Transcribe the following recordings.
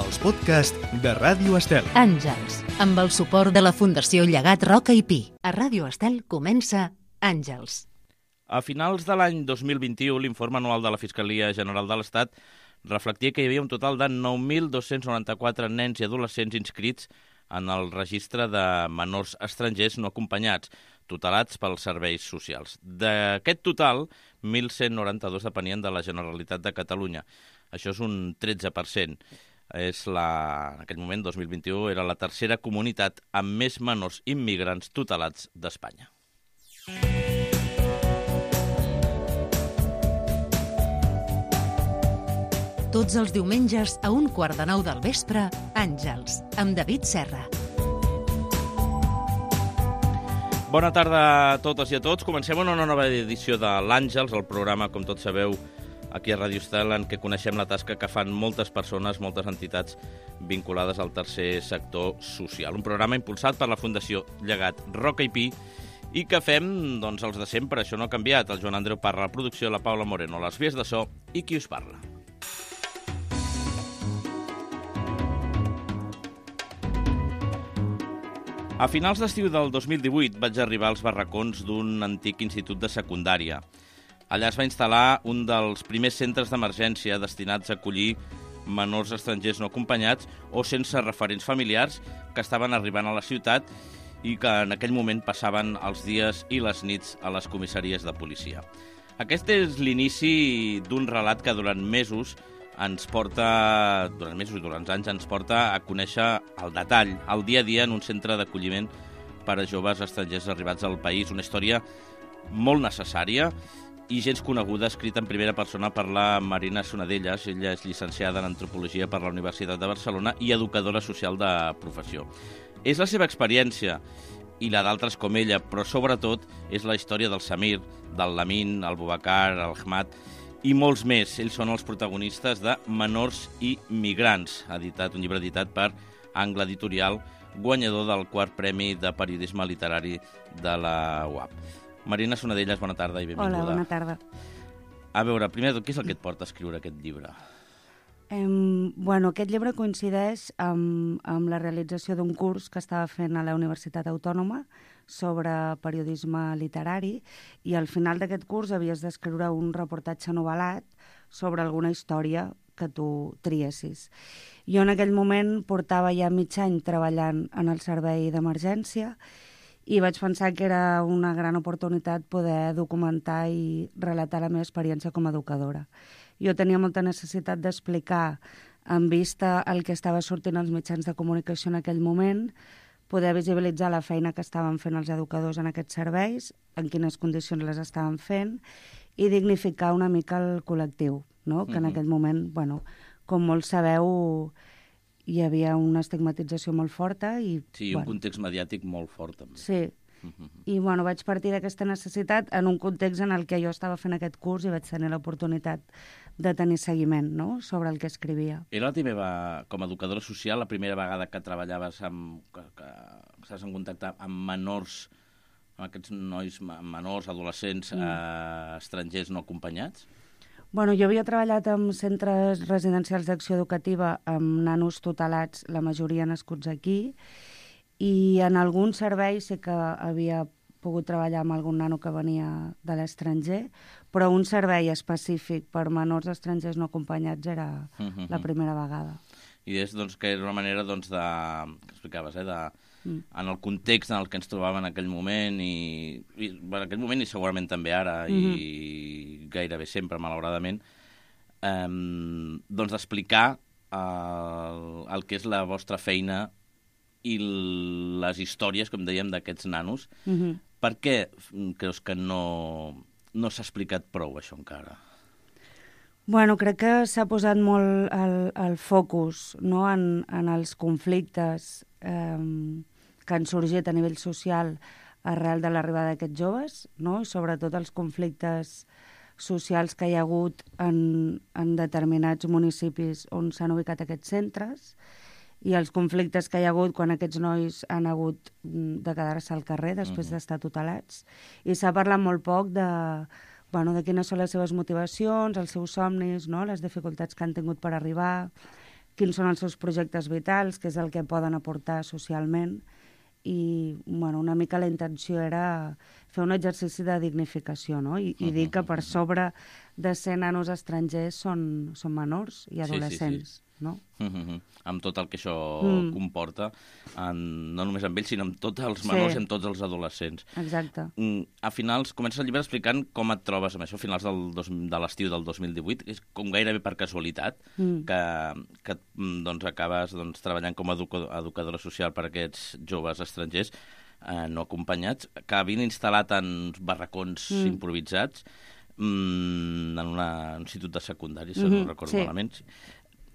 els podcasts de Ràdio Estel. Àngels, amb el suport de la Fundació Llegat Roca i Pi. A Ràdio Estel comença Àngels. A finals de l'any 2021, l'informe anual de la Fiscalia General de l'Estat reflectia que hi havia un total de 9.294 nens i adolescents inscrits en el registre de menors estrangers no acompanyats, tutelats pels serveis socials. D'aquest total, 1.192 depenien de la Generalitat de Catalunya. Això és un 13%. En aquell moment, 2021, era la tercera comunitat amb més menors immigrants tutelats d'Espanya. Tots els diumenges a 8:45 del vespre, Àngels, amb David Serra. Bona tarda a totes i a tots. Comencem una nova edició de l'Àngels, el programa, com tots sabeu, aquí a Ràdio Estel, en què coneixem la tasca que fan moltes persones, moltes entitats vinculades al tercer sector social. Un programa impulsat per la Fundació Llegat Roca i Pi i que fem, doncs, els de sempre. Això no ha canviat. El Joan Andreu Parra, la producció, la Paula Moreno, les vies de so i qui us parla. A finals d'estiu del 2018 vaig arribar als barracons d'un antic institut de secundària. Allà es va instal·lar un dels primers centres d'emergència destinats a acollir menors estrangers no acompanyats o sense referents familiars que estaven arribant a la ciutat i que en aquell moment passaven els dies i les nits a les comissaries de policia. Aquest és l'inici d'un relat que durant mesos i durant anys ens porta a conèixer el detall, el dia a dia en un centre d'acolliment per a joves estrangers arribats al país. Una història molt necessària i gens coneguda, escrita en primera persona per la Marina Sonadellas. Ella és llicenciada en Antropologia per la Universitat de Barcelona i educadora social de professió. És la seva experiència i la d'altres com ella, però sobretot és la història del Samir, del Lamin, el Boubacar, el Ahmad i molts més. Ells són els protagonistes de Menors i Migrants, un llibre editat per Angle Editorial, guanyador del 4è Premi de Periodisme Literari de la UAP. Marina Sonadellas, bona tarda i benvinguda. Hola, bona tarda. A veure, primer de tot, què és el que et porta a escriure aquest llibre? Aquest llibre coincideix amb la realització d'un curs que estava fent a la Universitat Autònoma sobre periodisme literari i al final d'aquest curs havies d'escriure un reportatge novel·lat sobre alguna història que tu triessis. Jo en aquell moment portava ja mig any treballant en el servei d'emergència i vaig pensar que era una gran oportunitat poder documentar i relatar la meva experiència com a educadora. Jo tenia molta necessitat d'explicar, en vista el que estava sortint als mitjans de comunicació en aquell moment, poder visibilitzar la feina que estaven fent els educadors en aquests serveis, en quines condicions les estaven fent, i dignificar una mica el col·lectiu, no? Que en aquell moment, com molts sabeu, hi havia una estigmatització molt forta. Sí, un context mediàtic molt fort, també. Sí, i vaig partir d'aquesta necessitat en un context en el que jo estava fent aquest curs i vaig tenir l'oportunitat de tenir seguiment, no?, sobre el que escrivia. Era la teva, com a educadora social, la primera vegada que treballaves que estàs en contacte amb menors, amb aquests nois menors, adolescents, estrangers no acompanyats? Jo havia treballat en centres residencials d'acció educativa amb nanos tutelats, la majoria nascuts aquí, i en algun servei sé que havia pogut treballar amb algun nano que venia de l'estranger, però un servei específic per menors estrangers no acompanyats era la primera vegada. I és que era una manera que explicaves, en el context en el que ens trobàvem en aquell moment i segurament també ara i gairebé sempre, malauradament, d'explicar el que és la vostra feina i les històries, com dèiem, d'aquests nanos. Per què creus que no s'ha explicat prou això encara? Crec que s'ha posat molt el focus, no?, en els conflictes que han sorgit a nivell social arrel de l'arribada d'aquests joves, no?, i sobretot els conflictes socials que hi ha hagut en determinats municipis on s'han ubicat aquests centres, i els conflictes que hi ha hagut quan aquests nois han hagut de quedar-se al carrer després d'estar tutelats. I s'ha parlat molt poc de quines són les seves motivacions, els seus somnis, no?, les dificultats que han tingut per arribar, quins són els seus projectes vitals, què és el que poden aportar socialment, i bueno, una mica la intenció era fer un exercici de dignificació, no? I dir que per sobre de 100 nanos estrangers són menors i adolescents, no? Amb tot el que això comporta, no només amb ells, sinó amb tots els menors i amb tots els adolescents. Exacte. A finals, comences el llibre explicant com et trobes amb això, a finals de l'estiu del 2018, és com gairebé per casualitat que doncs, acabes treballant com a educadora social per a aquests joves estrangers no acompanyats, que havien instal·lat en barracons improvisats en un institut de secundari, si no recordo malament.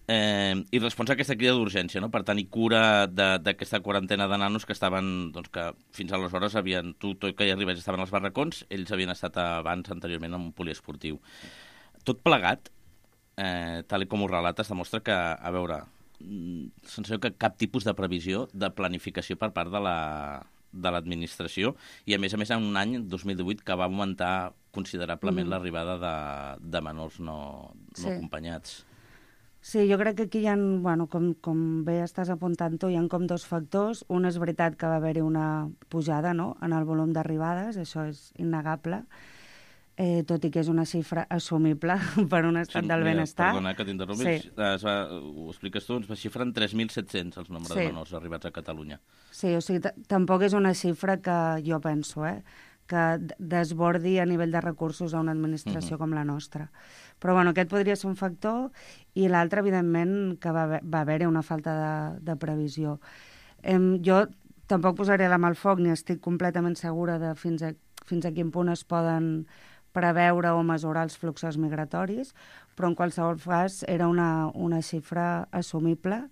I respons a aquesta crida d'urgència, no? Per tenir cura d'aquesta quarantena de nanos que estaven, doncs, que fins aleshores havien, tot que hi arribés estaven als barracons, ells havien estat anteriorment en un poliesportiu. Tot plegat, tal com ho relates, demostra que, a veure, sensació que cap tipus de previsió, de planificació per part de l'administració, i a més en un any, 2018, que va augmentar considerablement l'arribada de menors no acompanyats. Sí, jo crec que aquí hi ha, bueno, com bé estàs apuntant tu, hi ha com dos factors. Un és veritat que va haver-hi una pujada, no?, en el volum d'arribades, això és innegable, tot i que és una xifra assumible per un estat del benestar. Perdona que t'interrompi, ho expliques tu, ens xifra en 3.700 els nombres de menors arribats a Catalunya. Sí, o sigui, tampoc és una xifra que jo penso, que desbordi a nivell de recursos a una administració com la nostra. Però bueno, aquest podria ser un factor, i l'altre, evidentment, que va haver-hi una falta de previsió. Jo tampoc posaré la mà al foc, ni estic completament segura de fins a quin punt es poden preveure o mesurar els fluxos migratoris, però en qualsevol cas era una xifra assumible.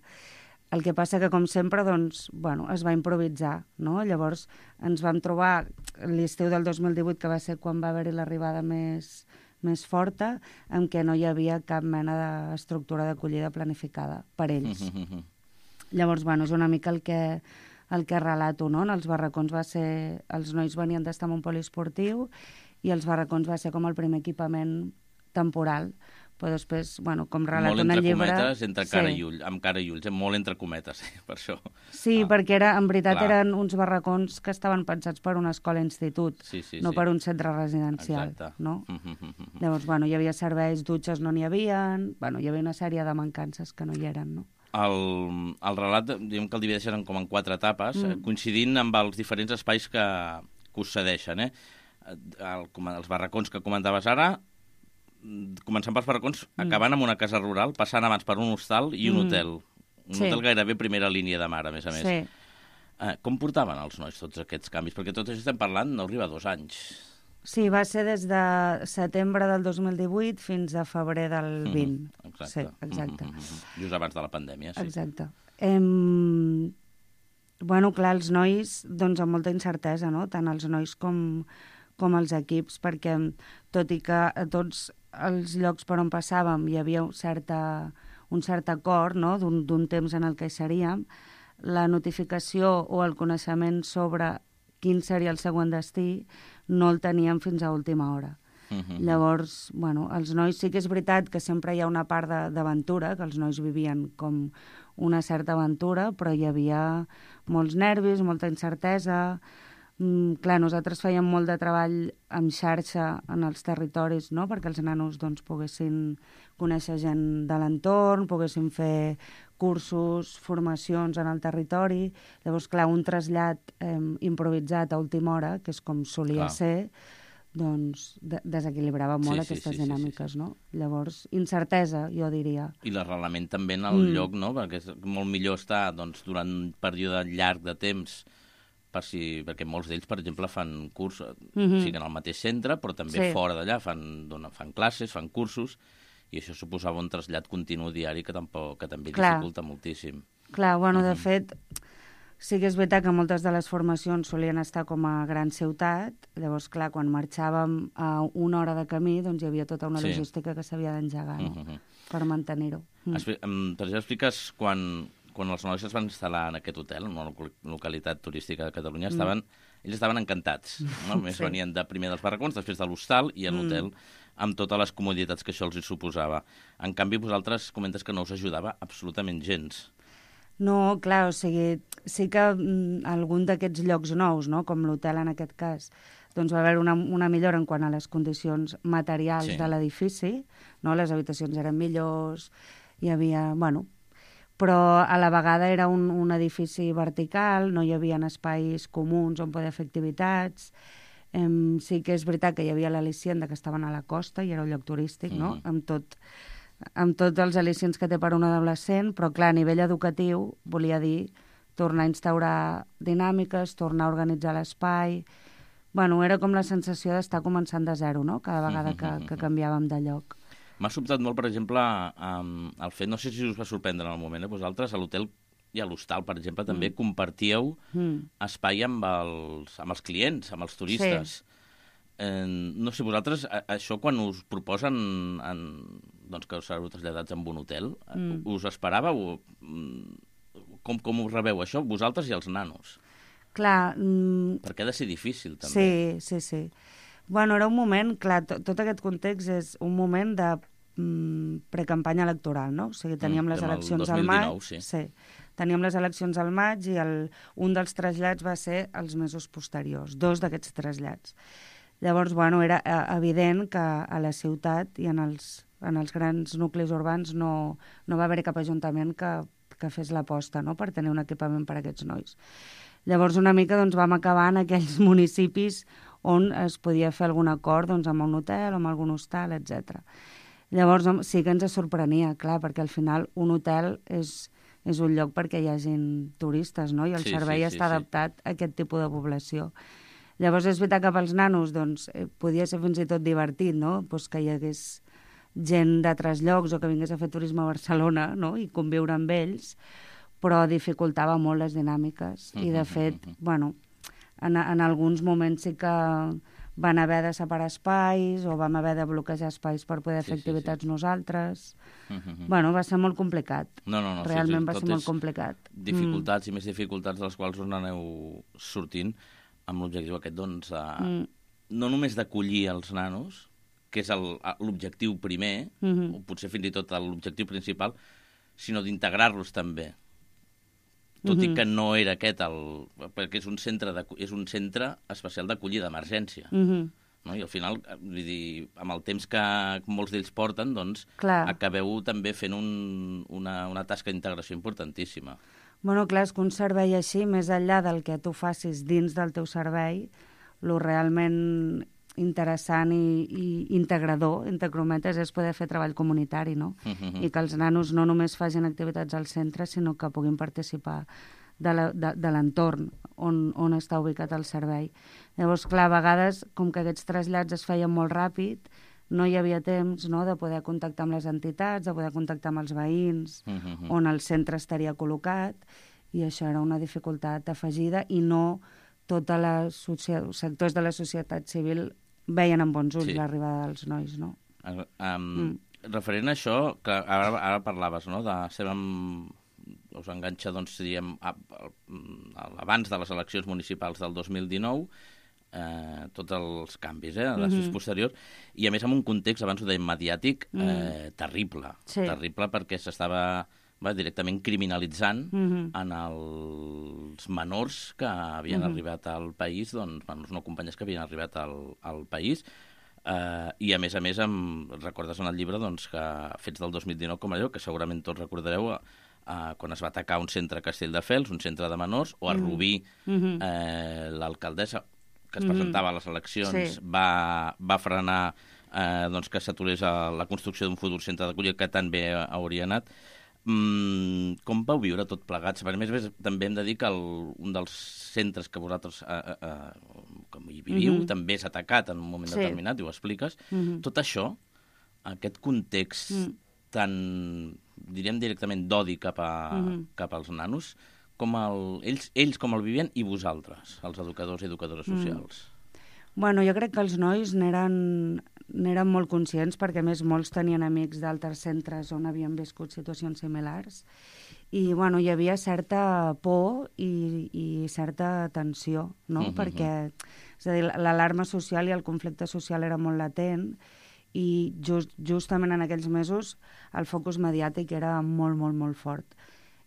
El que passa que, com sempre, doncs, bueno, es va improvisar, no? Llavors ens vam trobar l'estiu del 2018, que va ser quan va haver-hi l'arribada més forta, en què no hi havia cap mena d'estructura d'acollida planificada per ells. Llavors, bueno, és una mica el que relato, no? En els barracons els nois venien d'estar en un poliesportiu, i els barracons va ser com el primer equipament temporal. Però després, bueno, com relato en el llibre... Molt entre cometes, amb cara i ulls, molt entre cometes, per això. Sí, perquè en veritat eren uns barracons que estaven pensats per una escola-institut, no per un centre residencial. No? Llavors, bueno, hi havia serveis, dutxes no n'hi havia, bueno, hi havia una sèrie de mancances que no hi eren, no? El relat, diguem que el divideixen com en 4 etapes, coincidint amb els diferents espais que us cedeixen, els barracons que comentaves ara, començant pels barracons, acabant amb una casa rural, passant abans per un hostal i un hotel. Un hotel gairebé primera línia de mar, a més. Com portaven els nois tots aquests canvis? Perquè tot això estem parlant no arriba a 2 anys. Sí, va ser des de setembre del 2018 fins a febrer del 20. Exacte. Sí, exacte. Just abans de la pandèmia, sí. Exacte. Bueno, clar, els nois, doncs amb molta incertesa, no? Tant els nois com els equips, perquè tot i que a tots els llocs per on passàvem hi havia un cert acord, no?, d'un temps en el que hi seríem, la notificació o el coneixement sobre quin seria el següent destí no el teníem fins a última hora. Llavors, bueno, els nois sí que és veritat que sempre hi ha una part d'aventura, que els nois vivien com una certa aventura, però hi havia molts nervis, molta incertesa. Clar, nosaltres fèiem molt de treball en xarxa en els territoris, no?, perquè els nanos doncs, poguessin conèixer gent de l'entorn, poguessin fer cursos, formacions en el territori. Llavors, clar, un trasllat improvisat a última hora, que és com solia ser, doncs desequilibrava molt aquestes dinàmiques, no? Llavors, incertesa, jo diria. I l'arrelament també en el lloc, no?, perquè és molt millor estar doncs, durant un període llarg de temps, perquè molts d'ells, per exemple, fan curs, siguen al mateix centre, però també fora d'allà fan classes, fan cursos, i això suposava un trasllat continu diari que també dificulta moltíssim. Clar, bueno, de fet, sí que és veritat que moltes de les formacions solien estar com a gran ciutat, llavors, clar, quan marxàvem a 1 hora de camí, doncs hi havia tota una logística que s'havia d'engegar, no?, per mantenir-ho. Per exemple, expliques quan els nois es van instal·lar en aquest hotel, en una localitat turística de Catalunya, ells estaven encantats. No? Més venien de primer dels barracons, després de l'hostal i a l'hotel, amb totes les comoditats que això els hi suposava. En canvi, vosaltres comentes que no us ajudava absolutament gens. No, clar, o sigui, sí que algun d'aquests llocs nous, no?, com l'hotel en aquest cas, doncs va haver una millora en quant a les condicions materials de l'edifici, no? Les habitacions eren millors, hi havia, bueno, però a la vegada era un edifici vertical, no hi havia espais comuns on poder fer activitats. Sí que és veritat que hi havia l'al·licient que estaven a la costa i era un lloc turístic, no?, amb tots els al·licients que té per un adolescent, però clar, a nivell educatiu volia dir tornar a instaurar dinàmiques, tornar a organitzar l'espai. Bueno, era com la sensació d'estar començant de zero, no?, cada vegada que canviàvem de lloc. M'ha sobtat molt, per exemple, el fet, no sé si us va sorprendre en el moment, vosaltres a l'hotel i a l'hostal, per exemple, també compartíeu espai amb els clients, amb els turistes. No sé, vosaltres, això quan us proposen doncs, que us sereu traslladats en un hotel, us esperàveu? Com ho rebeu, això, vosaltres i els nanos? Clar... Perquè ha de ser difícil, també. Sí. Bueno, era un moment, clar, tot aquest context és un moment de precampanya electoral, no? O sigui, teníem les eleccions al maig. 2019, sí. Teníem les eleccions al maig i un dels trasllats va ser els mesos posteriors, 2 d'aquests trasllats. Llavors, bueno, era evident que a la ciutat i en els grans nuclis urbans no va haver cap ajuntament que fes l'aposta, no?, per tenir un equipament per a aquests nois. Llavors, una mica doncs, vam acabar en aquells municipis on es podia fer algun acord doncs, amb un hotel o amb algun hostal, etc. Llavors, sí que ens sorprenia, clar, perquè al final un hotel és un lloc perquè hi hagin turistes, no?, i el servei està adaptat a aquest tipus de població. Llavors, és veritat que pels nanos doncs, podia ser fins i tot divertit, no?, pues que hi hagués gent d'altres llocs o que vingués a fer turisme a Barcelona, no?, i conviure amb ells, però dificultava molt les dinàmiques. I, de fet, bueno, en alguns moments sí que van haver de separar espais o vam haver de bloquejar espais per poder fer activitats nosaltres. Bueno, va ser molt complicat. No, realment va ser molt complicat. Dificultats i més dificultats de les quals us n'aneu sortint amb l'objectiu aquest, doncs, no només d'acollir els nanos, que és l'objectiu primer, o potser fins i tot l'objectiu principal, sinó d'integrar-los també. Tot i que no era aquest perquè és un centre especial d'acollida d'emergència. No? I al final, vull dir, amb el temps que molts d'ells porten, doncs, acabeu també fent una tasca d'integració importantíssima. Bueno, clar, és que un servei així, més enllà del que tu facis dins del teu servei, el realment interessant i integrador, entre crometes, és poder fer treball comunitari, no? I que els nanos no només facin activitats al centre, sinó que puguin participar de l'entorn on està ubicat el servei. Llavors, clar, a vegades, com que aquests trasllats es feien molt ràpid, no hi havia temps, no?, de poder contactar amb les entitats, de poder contactar amb els veïns, on el centre estaria col·locat, i això era una dificultat afegida, i no tots els sectors de la societat civil veien amb bons ulls l'arribada dels nois, no? Referent a això, que ara parlaves, no?, de ser us enganxa, doncs, diríem, abans de les eleccions municipals del 2019, tots els canvis, després posteriors, i a més amb un context, abans ho dèiem, mediàtic, terrible. Terrible perquè s'estava directament criminalitzant en els menors que havien arribat al país, doncs, menors no acompanyats que havien arribat al país, i a més, recordes en el llibre doncs, que fets del 2019, com allò, que segurament tots recordareu, quan es va atacar un centre a Castelldefels, un centre de menors, o a Rubí, l'alcaldessa que es presentava a les eleccions va frenar doncs, que s'aturés la construcció d'un futur centre d'acollida que tan bé hauria anat. Com vau viure tot plegats? A més, també hem de dir que un dels centres que vosaltres com hi viviu també és atacat en un moment determinat, i ho expliques. Tot això, aquest context tan, diríem directament, d'odi cap als nanos, ells com el vivien i vosaltres, els educadors i educadores socials? Bueno, jo crec que els nois n'érem molt conscients, perquè a més molts tenien amics d'altres centres on havien viscut situacions similars. I bueno, hi havia certa por i certa tensió, no? Perquè és a dir, l'alarma social i el conflicte social era molt latent i justament en aquells mesos el focus mediàtic era molt, molt, molt fort.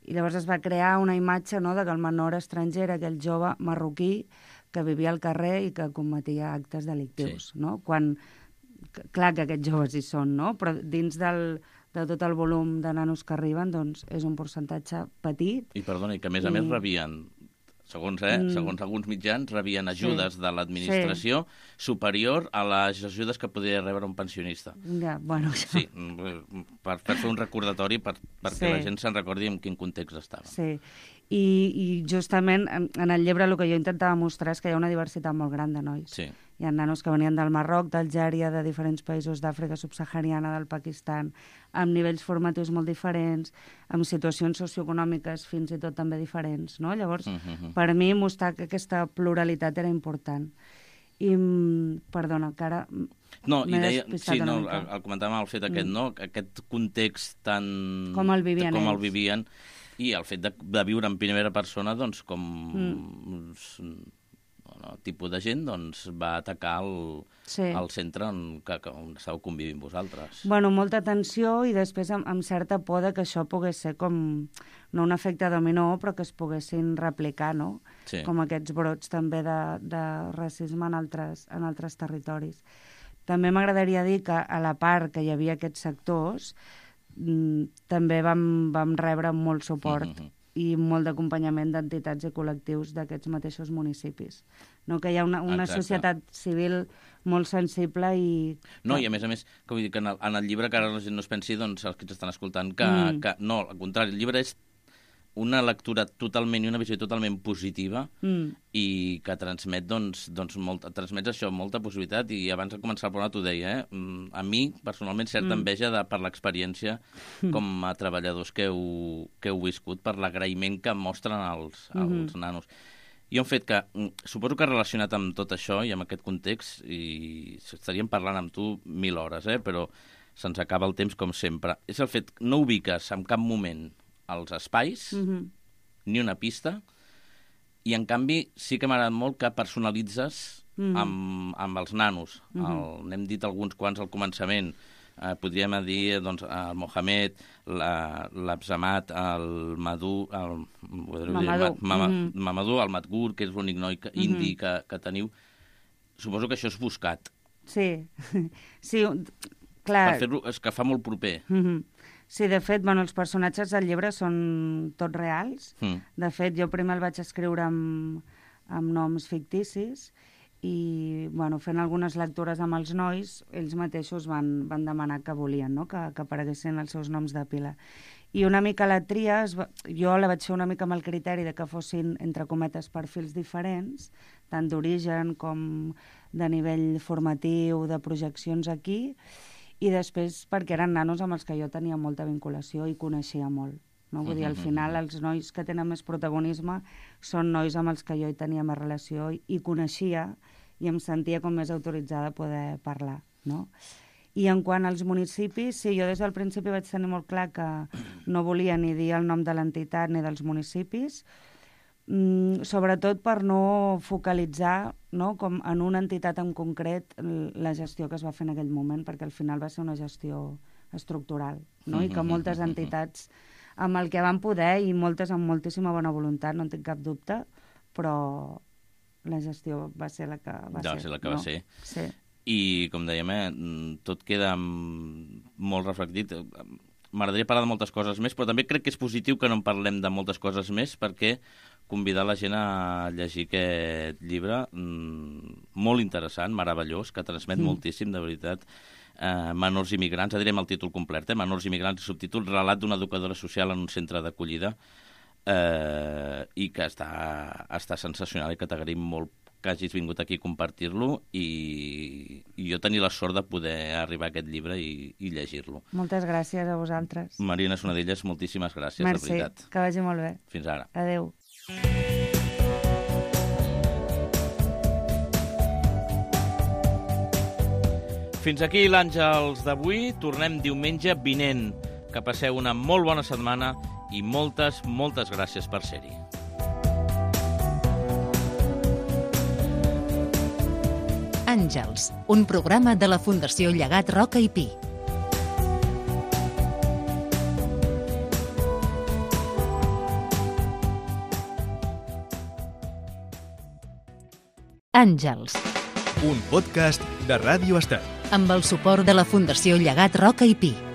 I llavors es va crear una imatge, no?, de que el menor estranger era aquell jove marroquí que vivia al carrer i que cometia actes delictius, no? Quan, clar que aquests joves hi són, no? Però dins de tot el volum de nanos que arriben, doncs és un percentatge petit. I perdona, i que a més rebien, segons alguns mitjans, rebien ajudes de l'administració superior a les ajudes que podia rebre un pensionista. Ja, bueno... Sí, per fer un recordatori perquè la gent se'n recordi en quin context estava. Sí, i justament en el llibre el que jo intentava mostrar és que hi ha una diversitat molt gran de nois. Sí. Hi ha nanos que venien del Marroc, d'Algèria, de diferents països d'Àfrica subsahariana, del Pakistan, amb nivells formatius molt diferents, amb situacions socioeconòmiques fins i tot també diferents, no? Llavors, per mi, mostrar que aquesta pluralitat era important. I, perdona, que ara m'he despistat una mica. El comentàvem el fet aquest, no? Aquest context tan... Com el vivien ells. Com el vivien, i el fet de viure en primera persona, doncs, com... el tipus de gent doncs, va atacar el centre on estàveu convivint vosaltres. Bueno, molta tensió i després amb certa por que això pogués ser com, no un efecte dominó, però que es poguessin replicar, no? Sí. Com aquests brots també de racisme en altres territoris. També m'agradaria dir que a la part que hi havia aquests sectors també vam rebre molt suport i molt d'acompanyament d'entitats i col·lectius d'aquests mateixos municipis. No? Que hi ha una societat civil molt sensible i... No, i a més, que vull dir que en el llibre, que ara la gent no es pensi, doncs, els que ens estan escoltant, que no, al contrari, el llibre és una lectura totalment i una visió totalment positiva i que transmet, transmet això, molta possibilitat, i abans de començar el programa t'ho deia, a mi, personalment, certa enveja per l'experiència com a treballadors que heu viscut, per l'agraïment que mostren els nanos. I un fet que, suposo que relacionat amb tot això i amb aquest context, i estaríem parlant amb tu 1000 hores, però se'ns acaba el temps com sempre, és el fet que no ubiques en cap moment els espais, ni una pista, i en canvi sí que m'ha agradat molt que personalitzes amb els nanos. N'hem dit alguns quants al començament. Podríem dir doncs, el Mohamed, l'Absamat, el Mamadou, el Matgur, que és l'únic noi indi que teniu. Suposo que això és buscat. Sí, clar. Per fer-lo, és que fa molt proper. Sí, de fet, els personatges del llibre són tots reals. De fet, jo primer el vaig escriure amb noms ficticis i, fent algunes lectures amb els nois, ells mateixos van demanar que volien, no?, que apareguessin els seus noms de pila. I una mica la tria, jo la vaig fer una mica amb el criteri de que fossin, entre cometes, perfils diferents, tant d'origen com de nivell formatiu, de projeccions aquí, i després perquè eren nanos amb els que jo tenia molta vinculació i coneixia molt. No? Vull dir, al final els nois que tenen més protagonisme són nois amb els que jo hi tenia més relació i coneixia i em sentia com més autoritzada a poder parlar. No? I en quant als municipis, sí, jo des del principi vaig tenir molt clar que no volia ni dir el nom de l'entitat ni dels municipis, sobretot per no focalitzar, no, com en una entitat en concret la gestió que es va fer en aquell moment, perquè al final va ser una gestió estructural, no? I que moltes entitats amb el que van poder i moltes amb moltíssima bona voluntat, no en tinc cap dubte, però la gestió va ser la que va ser. Va ser la que va ser. Sí. I, com dèiem, tot queda molt reflectit. M'agradaria parlar de moltes coses més, però també crec que és positiu que no en parlem de moltes coses més, perquè convidar la gent a llegir aquest llibre molt interessant, meravellós, que transmet moltíssim, de veritat. Menors immigrants, direm el títol complet, Menors immigrants i subtítol, relat d'una educadora social en un centre d'acollida, i que està sensacional i que t'agraïm molt que hagis vingut aquí a compartir-lo i jo tenir la sort de poder arribar a aquest llibre i llegir-lo. Moltes gràcies a vosaltres. Marina Sonadilles, moltíssimes gràcies, de veritat. Merci, que vagi molt bé. Fins ara. Adéu. Fins aquí l'Àngels d'avui. Tornem diumenge vinent. Que passeu una molt bona setmana i moltes, moltes gràcies per ser-hi. Àngels, un programa de la Fundació Llegat Roca i Pi. Àngels. Un podcast de Ràdio Estel. Amb el suport de la Fundació Llegat Roca i Pi.